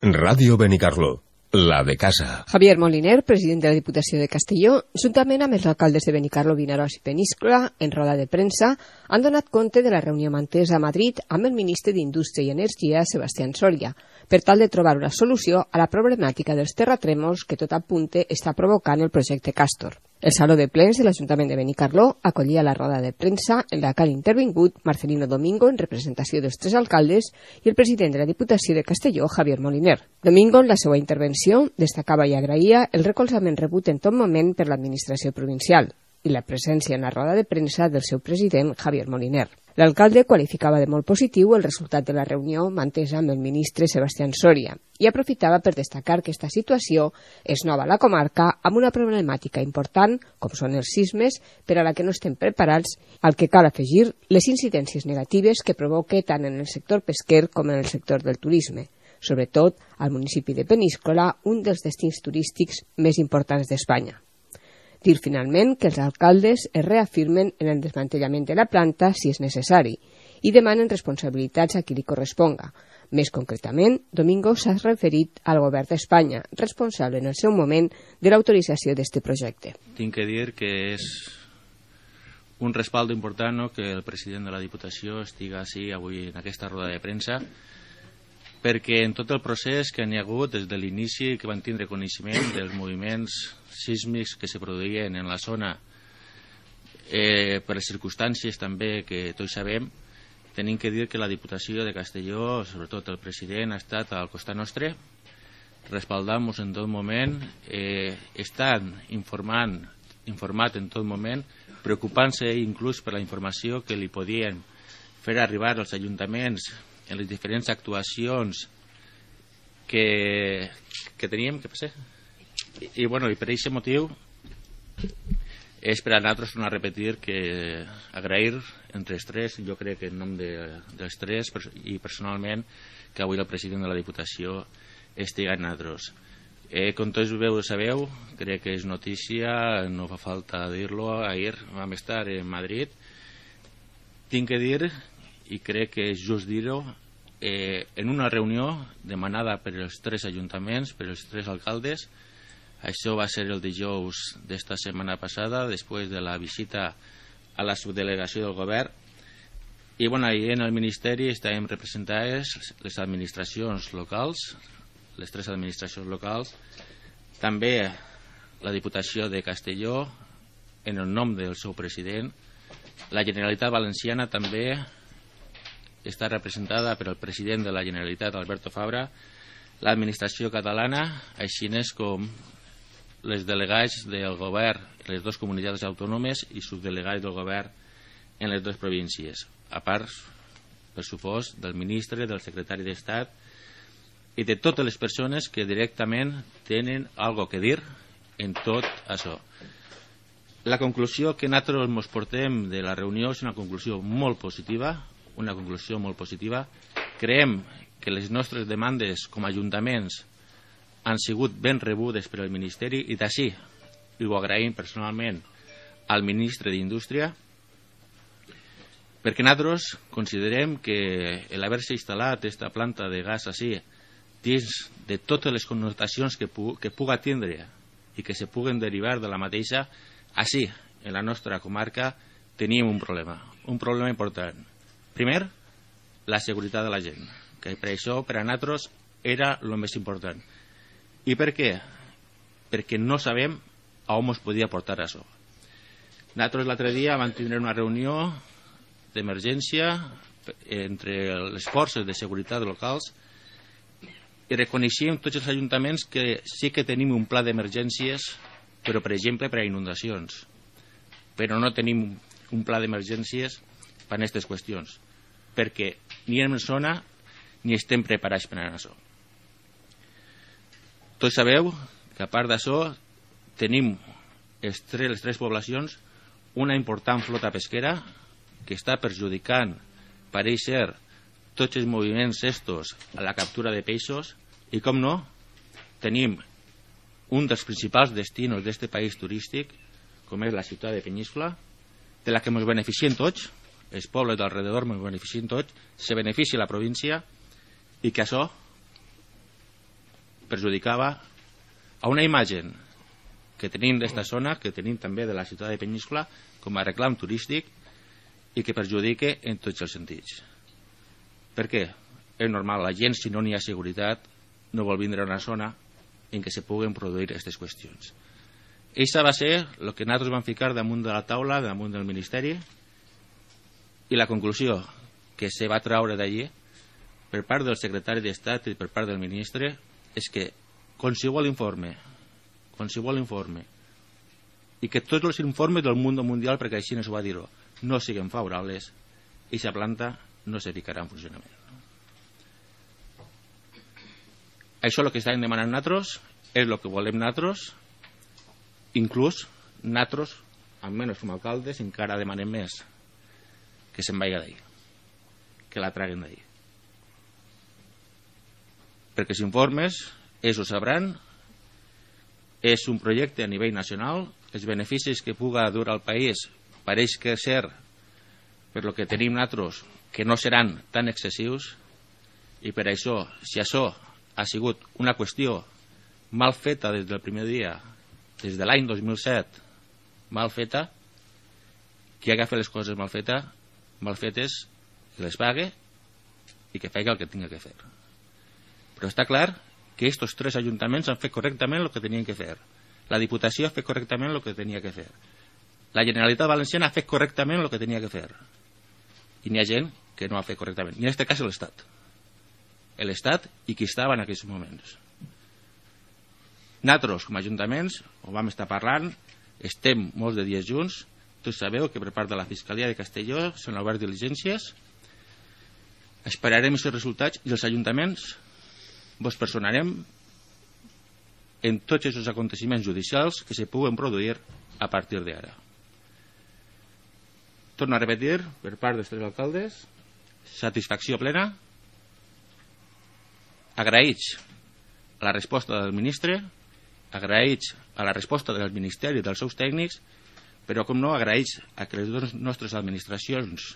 Ràdio Benicarló, la de casa. Javier Moliner, president de la Diputació de Castelló, juntament amb els alcaldes de Benicarló, Vinaròs i Peníscola, en roda de premsa, han donat compte de la reunió mantesa a Madrid amb el ministre d'Indústria i Energia, Sebastián Soria, per tal de trobar una solució a la problemàtica dels terratrèmols que tot apunte està provocant el projecte Castor. El Saló de Plens de l'Ajuntament de Benicarló acollia la roda de premsa en la que han intervingut Marcelino Domingo en representació dels tres alcaldes i el president de la Diputació de Castelló, Javier Moliner. Domingo, en la seva intervenció, destacava i agraïa el recolzament rebut en tot moment per l'administració provincial i la presència en la roda de premsa del seu president, Javier Moliner. L'alcalde qualificava de molt positiu el resultat de la reunió mantesa amb el ministre Sebastián Soria i aprofitava per destacar que aquesta situació és nova a la comarca amb una problemàtica important, com són els sismes, per a la que no estem preparats, al que cal afegir les incidències negatives que provoca tant en el sector pesquer com en el sector del turisme, sobretot al municipi de Peníscola, un dels destins turístics més importants d'Espanya. Dir finalment que els alcaldes es reafirmen en el desmantellament de la planta si és necessari i demanen responsabilitats a qui li corresponga. Més concretament, Domingo s'ha referit al govern d'Espanya, responsable en el seu moment de l'autorització d'aquest projecte. Tinc que dir que és un respaldo important que el president de la Diputació estigui així avui en aquesta roda de premsa, perquè en tot el procés que n'hi ha hagut des de l'inici que van tindre coneixement dels moviments sísmics que se produïen en la zona per les circumstàncies també que tots sabem, tenim que dir que la Diputació de Castelló, sobretot el president, ha estat al costat nostre, respaldant-nos en tot moment, estan informat en tot moment, preocupant-se inclús per la informació que li podien fer arribar als ajuntaments en les diferents actuacions que teníem, què passa? I per aquest motiu és per a nosaltres tornar a repetir que agrair entre els tres, jo crec que en nom dels tres i personalment, que avui el president de la Diputació estigui amb nosaltres. Com tots sabeu, crec que és notícia, no fa falta dir-lo, ahir vam estar en Madrid. Tinc que dir, i crec que és just dir-ho, en una reunió demanada per els tres ajuntaments, per els tres alcaldes. Això va ser el dijous d'esta setmana passada, després de la visita a la subdelegació del govern. I ahir en el Ministeri estàvem representades les administracions locals, les tres administracions locals, també la Diputació de Castelló, en el nom del seu president. La Generalitat Valenciana també està representada per el president de la Generalitat, Alberto Fabra, l'administració catalana, així com les delegats del govern en les dues comunitats autònomes i subdelegats del govern en les dues províncies, a part, per supost, del ministre, del secretari d'Estat i de totes les persones que directament tenen alguna cosa a dir en tot això. La conclusió que nosaltres ens portem de la reunió és una conclusió molt positiva, Creiem que les nostres demandes com a ajuntaments han sigut ben rebudes per al Ministeri i d'ací ho agraïm personalment al ministre d'Indústria, perquè nosaltres considerem que l'haver-se instal·lat aquesta planta de gas així, dins de totes les connotacions que puga tindre i que se puguen derivar de la mateixa, així, en la nostra comarca, tenim un problema important. Primer, la seguretat de la gent, que per això per a nosaltres era el més important. I per què? Perquè no sabem a on ens podia portar això. Nosaltres l'altre dia vam tindre una reunió d'emergència entre les forces de seguretat locals i reconeixíem tots els ajuntaments que sí que tenim un pla d'emergències, però per exemple per a inundacions, però no tenim un pla d'emergències per a aquestes qüestions, perquè ni en zona ni estem preparats per a això. Tots sabeu que a part d'això tenim les tres poblacions una important flota pesquera que està perjudicant, pareix ser, tots els moviments estos a la captura de peixos i, com no, tenim un dels principals destinos d'aquest país turístic, com és la ciutat de Peníscola, de la que ens beneficiem tots, els pobles d'alrededor ens beneficien tots, se beneficia la província i que això perjudicava a una imatge que tenim d'esta zona, que tenim també de la ciutat de Peníscola, com a reclam turístic, i que perjudica en tots els sentits. Per què? És normal, la gent, si no n'hi ha seguretat, no vol vindre a una zona en què se puguen produir aquestes qüestions. Això va ser el que nosaltres vam ficar damunt de la taula, damunt del Ministeri, i la conclusió que se va traure d'allí per part del secretari d'Estat i per part del ministre és que qualsevol informe i que tots els informes del món mundial, perquè així no s'ho va dir-ho, no siguin favorables, i aquesta planta no se ficarà en funcionament. Això és el que estem demanant nosaltres, és el que volem nosaltres, inclús nosaltres, almenys com a alcaldes, encara demanem més que se'n vagi d'ahir, que la traguen d'ahir. Perquè els informes, ells ho sabran, és un projecte a nivell nacional, els beneficis que puga dur al país pareix que ser, per lo que tenim nosaltres, que no seran tan excessius, i per això, si això ha sigut una qüestió mal feta des del primer dia, des de l'any 2007, mal feta, qui agafa les coses mal fetes, que les pague i que faci el que tinga que fer. Però està clar que aquests 3 ajuntaments han fet correctament el que tenien que fer. La Diputació ha fet correctament el que tenia que fer. La Generalitat Valenciana ha fet correctament el que tenia que fer. I n'hi ha gent que no ha fet correctament. I en aquest cas l'Estat. L'Estat i qui estava en aquests moments. Nosaltres, com a ajuntaments, ho vam estar parlant, estem molts de dies junts, tots sabeu que per part de la Fiscalia de Castelló s'han obert diligències, esperarem aquests resultats i els ajuntaments vos personarem en tots aquests aconteciments judicials que se puguen produir a partir d'ara. Torno a repetir, per part dels 3 alcaldes, satisfacció plena, agraïts a la resposta del ministre, agraïts a la resposta del Ministeri i dels seus tècnics, però com no agraïts a que les nostres administracions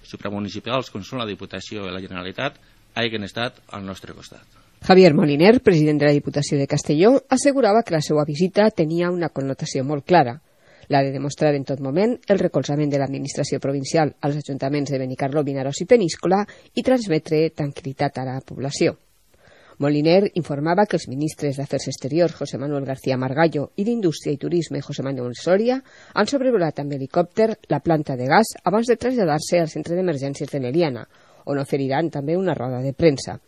supramunicipals, com són la Diputació i la Generalitat, hagin estat al nostre costat. Javier Moliner, president de la Diputació de Castelló, assegurava que la seva visita tenia una connotació molt clara, la de demostrar en tot moment el recolzament de l'administració provincial als ajuntaments de Benicarló, Vinaròs i Peníscola i transmetre tranquil·litat a la població. Moliner informava que els ministres d'Afers Exteriors, José Manuel García Margallo, i d'Indústria i Turisme, José Manuel Soria, han sobrevolat amb helicòpter la planta de gas abans de traslladar-se al centre d'emergències de Neliana, on oferiran també una roda de premsa.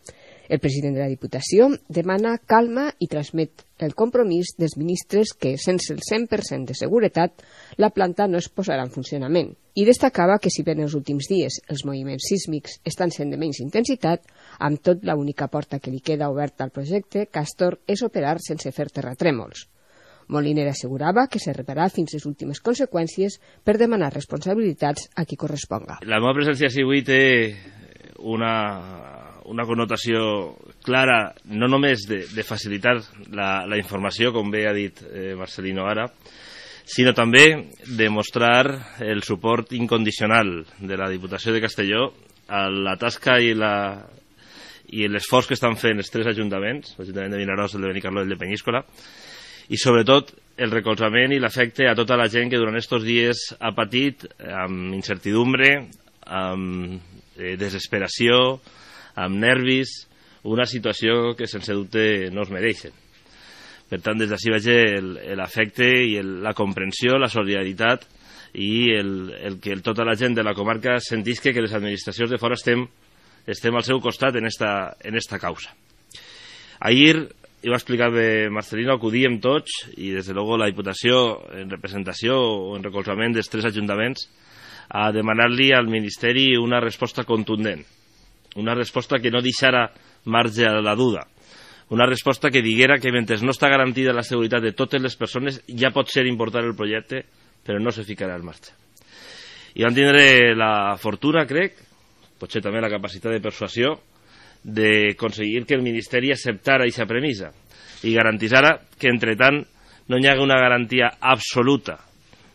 El president de la Diputació demana calma i transmet el compromís dels ministres que, sense el 100% de seguretat, la planta no es posarà en funcionament. I destacava que si bé en els últims dies els moviments sísmics estan sent de menys intensitat, amb tot l'única porta que li queda oberta al projecte Castor és operar sense fer terratrèmols. Moliner assegurava que se repararà fins les últimes conseqüències per demanar responsabilitats a qui corresponga. La meva presència avui té una connotació clara, no només de facilitar la informació, com bé ha dit Marcelino ara, sinó també de mostrar el suport incondicional de la Diputació de Castelló a la tasca i l'esforç que estan fent els 3 ajuntaments, l'Ajuntament de Vinaròs, el de Benicarló i el de Peníscola, i sobretot el recolzament i l'afecte a tota la gent que durant aquests dies ha patit amb incertidumbre, amb desesperació, amb nervis, una situació que sense dubte no es mereixen. Per tant, des d'ací veig l'afecte i la comprensió, la solidaritat i el que tota la gent de la comarca sentisca que les administracions de fora estem al seu costat en esta causa. Ahir, ho va explicar Marcelino, acudíem tots, i des de luego la Diputació, en representació o en recolzament dels 3 ajuntaments, a demanar-li al Ministeri una resposta contundent, una resposta que no deixara marge a la duda, una resposta que diguera que mentre no està garantida la seguretat de totes les persones ja pot ser important el projecte, però no se ficarà en marxa. I van tindre la fortuna, crec, potser també la capacitat de persuasió, d'aconseguir que el Ministeri acceptara aquesta premissa i garantissara que, entre tant, no hi hagi una garantia absoluta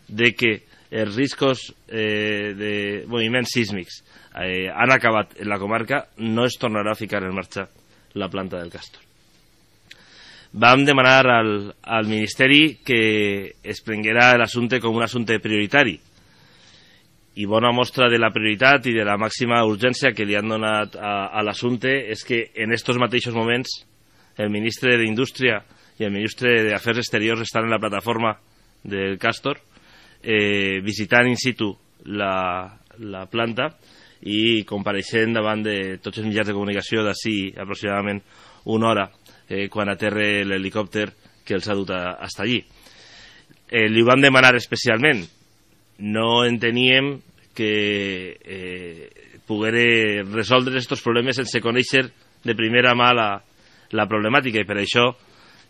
de que els riscos de moviments sísmics han acabat en la comarca, no es tornarà a ficar en marxa la planta del Castor. vam demanar al Ministeri que es prenguera l'assumpte com un assumpte prioritari. I bona mostra de la prioritat i de la màxima urgència que li han donat a l'assumpte és que en estos mateixos moments el ministre d'Indústria i el ministre d'Afers Exteriors estan en la plataforma del Castor visitant in situ la planta i compareixent davant de tots els mitjans de comunicació d'ací aproximadament una hora quan aterra l'helicòpter que els ha dut hasta allí. Li ho vam demanar especialment. No enteníem que poguera resoldre aquests problemes sense conèixer de primera mà la problemàtica, i per això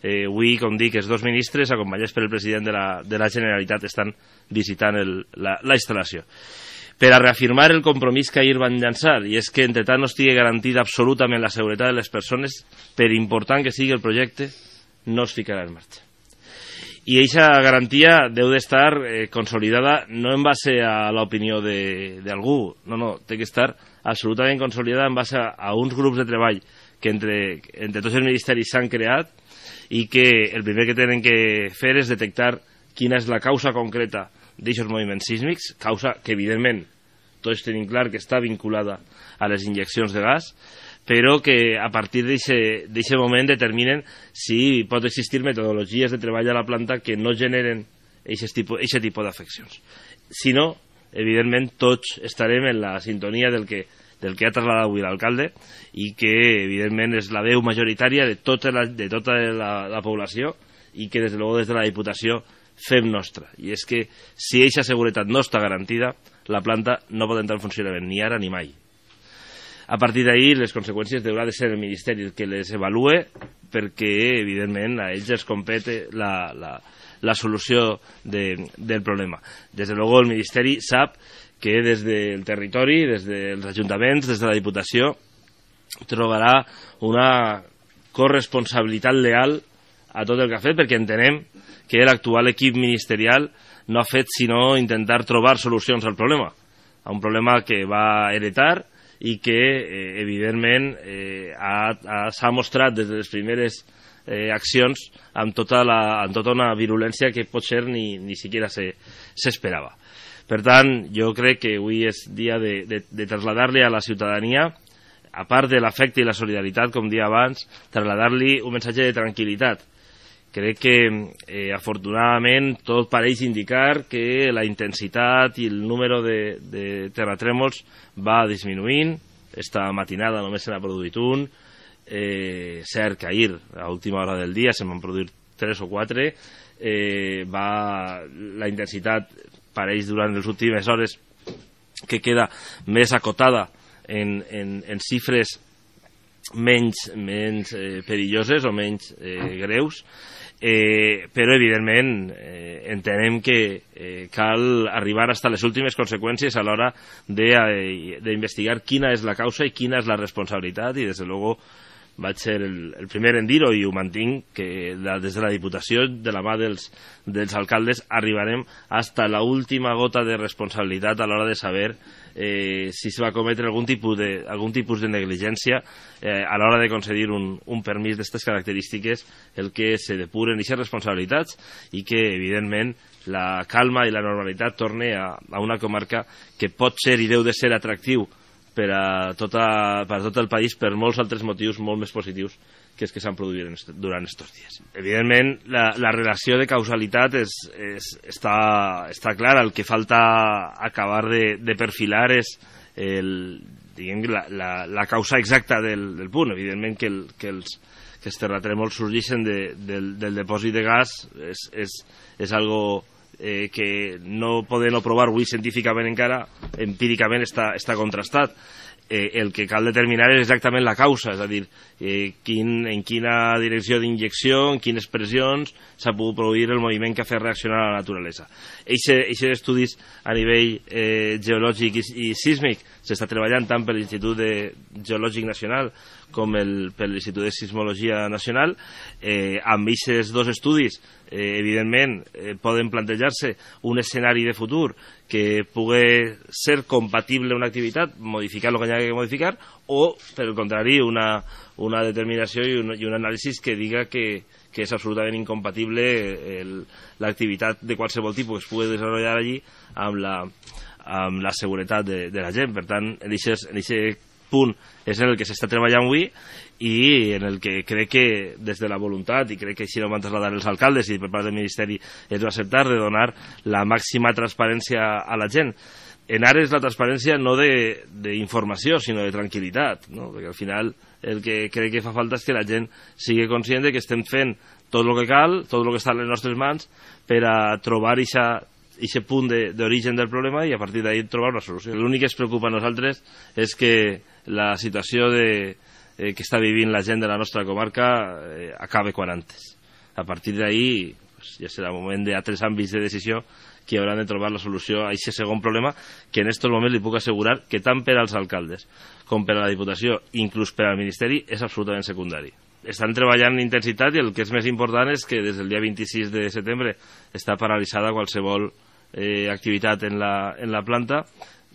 avui, com dic, els dos ministres acompanyats per el president de la Generalitat estan visitant la instal·lació per a reafirmar el compromís que ahir van llançar, i és que entre tant no estigui garantida absolutament la seguretat de les persones, per important que sigui el projecte, no es ficarà en marxa. I aquesta garantia deu d'estar consolidada no en base a l'opinió d'algú, no, té que estar absolutament consolidada en base a uns grups de treball que entre tots els ministeris s'han creat i que el primer que tenen que fer és detectar quina és la causa concreta d'aquests moviments sísmics, causa que evidentment tots tenim clar que està vinculada a les injeccions de gas, però que a partir d'aquest moment determinen si pot existir metodologies de treball a la planta que no generen aquest tipus d'afeccions. Si no, evidentment tots estarem en la sintonia del que ha trasladat avui l'alcalde i que evidentment és la veu majoritària de tota la població i que des de la Diputació fem nostra. I és que si aquesta seguretat no està garantida, la planta no pot entrar en funcionament ni ara ni mai. A partir d'ahir les conseqüències haurà de ser el Ministeri el que les evalue, perquè evidentment a ells els compete la solució del problema. Des de luego el Ministeri sap que des del territori, des dels ajuntaments, des de la Diputació, trobarà una corresponsabilitat leal a tot el que ha fet, perquè entenem que l'actual equip ministerial no ha fet sinó intentar trobar solucions al problema, a un problema que va heretar i que evidentment s'ha mostrat des de les primeres accions amb tota una virulència que potser ni siquiera s'esperava. Per tant, jo crec que avui és dia de traslladar-li a la ciutadania, a part de l'afecte i la solidaritat, com dia abans, traslladar-li un missatge de tranquil·litat. Crec que afortunadament tot pareix indicar que la intensitat i el número de terratrèmols va disminuint. Esta matinada només se n'ha produït un. Cert que ahir, a última hora del dia, se'n van produir 3 o 4. La intensitat pareix durant les últimes hores que queda més acotada en xifres menys perilloses o menys greus, però evidentment entenem que cal arribar fins a les últimes conseqüències a l'hora d'investigar quina és la causa i quina és la responsabilitat, i des de luego vaig ser el primer en dir-ho i ho mantinc, que des de la Diputació, de la mà dels alcaldes, arribarem fins a l'última gota de responsabilitat a l'hora de saber si es va cometre algun tipus de negligència a l'hora de concedir un permís d'aquestes característiques, el que se depuren aquestes responsabilitats i que evidentment la calma i la normalitat torne a una comarca que pot ser i deu de ser atractiu per a tot el país per molts altres motius molt més positius que els que s'han produït durant aquests dies. Evidentment, la relació de causalitat està clara. El que falta acabar de perfilar és la causa exacta del punt. Evidentment que els terratrèmols sorgeixen del depòsit de gas és algo que no podem provar avui científicament encara, empíricament està contrastat. El que cal determinar és exactament la causa, és a dir, en quina direcció d'injecció, en quines pressions s'ha pogut produir el moviment que ha fet reaccionar a la naturalesa. Aquests estudis a nivell geològic i sísmic s'està treballant tant per l'Institut Geològic Nacional com per l'Institut de Sismologia Nacional. Amb aquests dos estudis, evidentment, poden plantejar-se un escenari de futur que pugui ser compatible una activitat, modificar el que hi ha que modificar, o, per el contrari, una determinació i un anàlisi que diga que és absolutament incompatible l'activitat de qualsevol tipus que es pugui desenvolupar allí amb la seguretat de la gent. Per tant, en aquest punt és en el que s'està treballant avui i en el que crec que des de la voluntat, i crec que així ho van traslladar els alcaldes i per part del Ministeri es va acceptar, de donar la màxima transparència a la gent. En Ares la transparència no d'informació, sinó de tranquil·litat, no? Perquè al final el que crec que fa falta és que la gent sigui conscient que estem fent tot el que cal, tot el que està a les nostres mans per a trobar aquest punt d'origen del problema i a partir d'ahir trobar una solució. L'únic que ens preocupa a nosaltres és que la situació que està vivint la gent de la nostra comarca acabe quan antes. A partir d'ahir ja serà moment d'altres àmbits de decisió que hauran de trobar la solució a aquest segon problema, que en aquests moments li puc assegurar que tant per als alcaldes com per a la Diputació, inclús per al Ministeri, és absolutament secundari. Estan treballant en intensitat i el que és més important és que des del dia 26 de setembre està paralitzada qualsevol activitat en la planta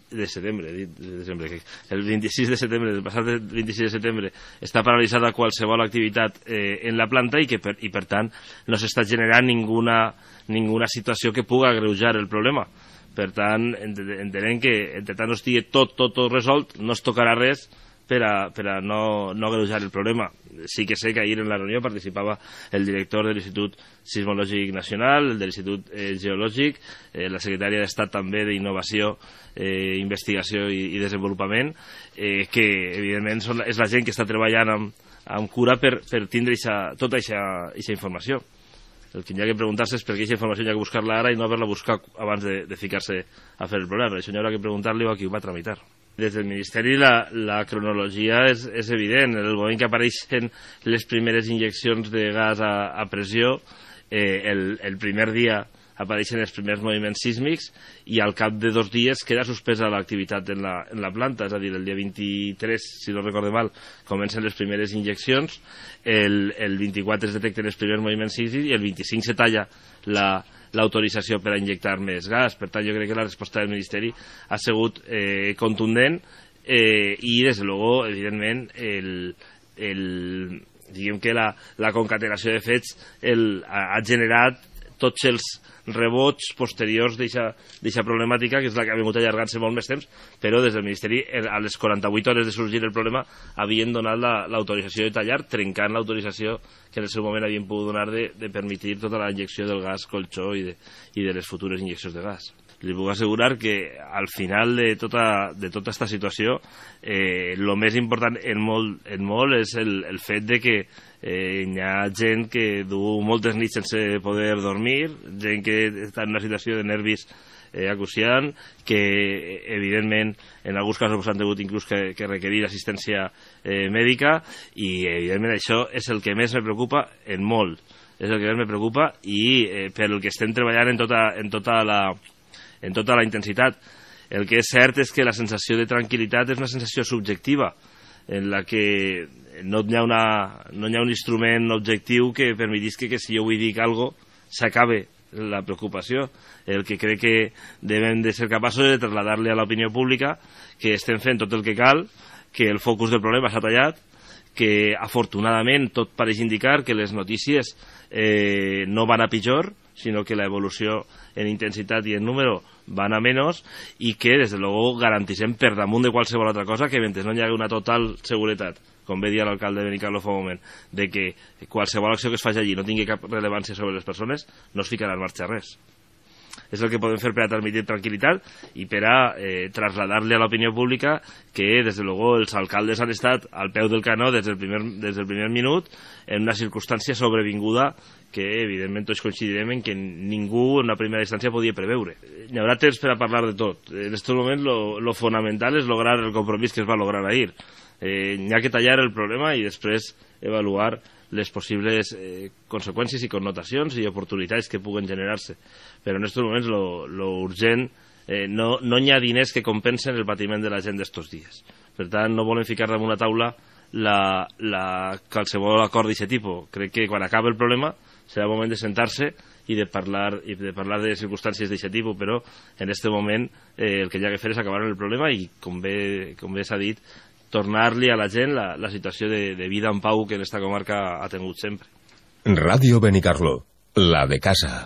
de setembre, el 26 de setembre, el passat 26 de setembre està paralitzada qualsevol activitat en la planta i per tant no s'està generant ninguna situació que pugui agreujar el problema. Per tant, entenem que entre tant no estigui tot resolt, no es tocarà res per a no agreujar el problema. Sí que sé que ahir en la reunió participava el director de l'Institut Sismològic Nacional, el de l'Institut Geològic, la secretària d'Estat també d'Innovació, Investigació i Desenvolupament, que evidentment és la gent que està treballant amb cura per tindre tota aquesta informació. El que hi ha que preguntar-se és per què aquesta informació hi ha que buscar-la ara i no haver-la buscat abans de ficar-se a fer el problema. Per això hi haurà que preguntar-li a qui ho va tramitar. Des del Ministeri la cronologia és evident. En el moment que apareixen les primeres injeccions de gas a pressió, el primer dia apareixen els primers moviments sísmics i al cap de 2 dies queda suspesa l'activitat en la planta, és a dir, el dia 23, si no recordo mal, comencen les primeres injeccions, el 24 es detecten els primers moviments sísmics i el 25 se talla l'autorització per a injectar més gas. Per tant, jo crec que la resposta del Ministeri ha sigut contundent i, des de luego, evidentment, diguem que la concatenació de fets ha generat tots els rebots posteriors d'aquesta problemàtica, que és la que ha vingut allargant-se molt més temps, però des del Ministeri, a les 48 hores de sorgir el problema, havien donat l'autorització de tallar, trencant l'autorització que en el seu moment havien pogut donar de permetre tota la injecció del gas colxó i de les futures injeccions de gas. Li puc assegurar que al final de tota aquesta situació el més important en molt és el fet de que hi ha gent que du moltes nits sense poder dormir, gent que està en una situació de nervis acuciant, que evidentment en alguns casos han hagut inclús que requerir assistència mèdica i evidentment això és el que més me preocupa en molt, és el que més me preocupa i per el que estem treballant en tota la intensitat. El que és cert és que la sensació de tranquil·litat és una sensació subjectiva en la que no hi ha un instrument objectiu que permetisca que si jo vull dir alguna cosa s'acabe la preocupació. El que crec que devem de ser capaços de traslladar-li a l'opinió pública que estem fent tot el que cal, que el focus del problema s'ha tallat, que afortunadament tot pareix indicar que les notícies no van a pitjor, sinó que l'evolució en intensitat i en número van a menys i que, des de luego, garantissem per damunt de qualsevol altra cosa que mentre no hi hagi una total seguretat, com bé dia l'alcalde de Benicarló fa un moment, de que qualsevol acció que es faci allí no tingui cap rellevància sobre les persones, no es ficarà en marxa res. És el que podem fer per a transmitir tranquil·litat i per a traslladar-li a l'opinió pública que, des de luego, els alcaldes han estat al peu del canó des del primer minut en una circumstància sobrevinguda que, evidentment, tots coincidirem en que ningú en una primera instància podia preveure. Hi haurà temps per a parlar de tot. En aquest moment, lo fonamental és lograr el compromís que es va lograr ahir. N'hi ha que tallar el problema i després avaluar les possibles conseqüències i connotacions i oportunitats que puguen generar-se. Però en aquests moments lo urgent, no hi ha diners que compensen el patiment de la gent d'estos dies. Per tant, no volem ficar damunt la taula qualsevol acord d'aquest tipus. Crec que quan acabi el problema serà el moment de sentar-se i de parlar de circumstàncies d'aquest tipus, però en aquest moment el que hi ha que fer és acabar amb el problema i, com bé s'ha dit, tornar-li a la gent la situació de vida en pau que en aquesta comarca ha tingut sempre. Radio Benicarló, la de casa.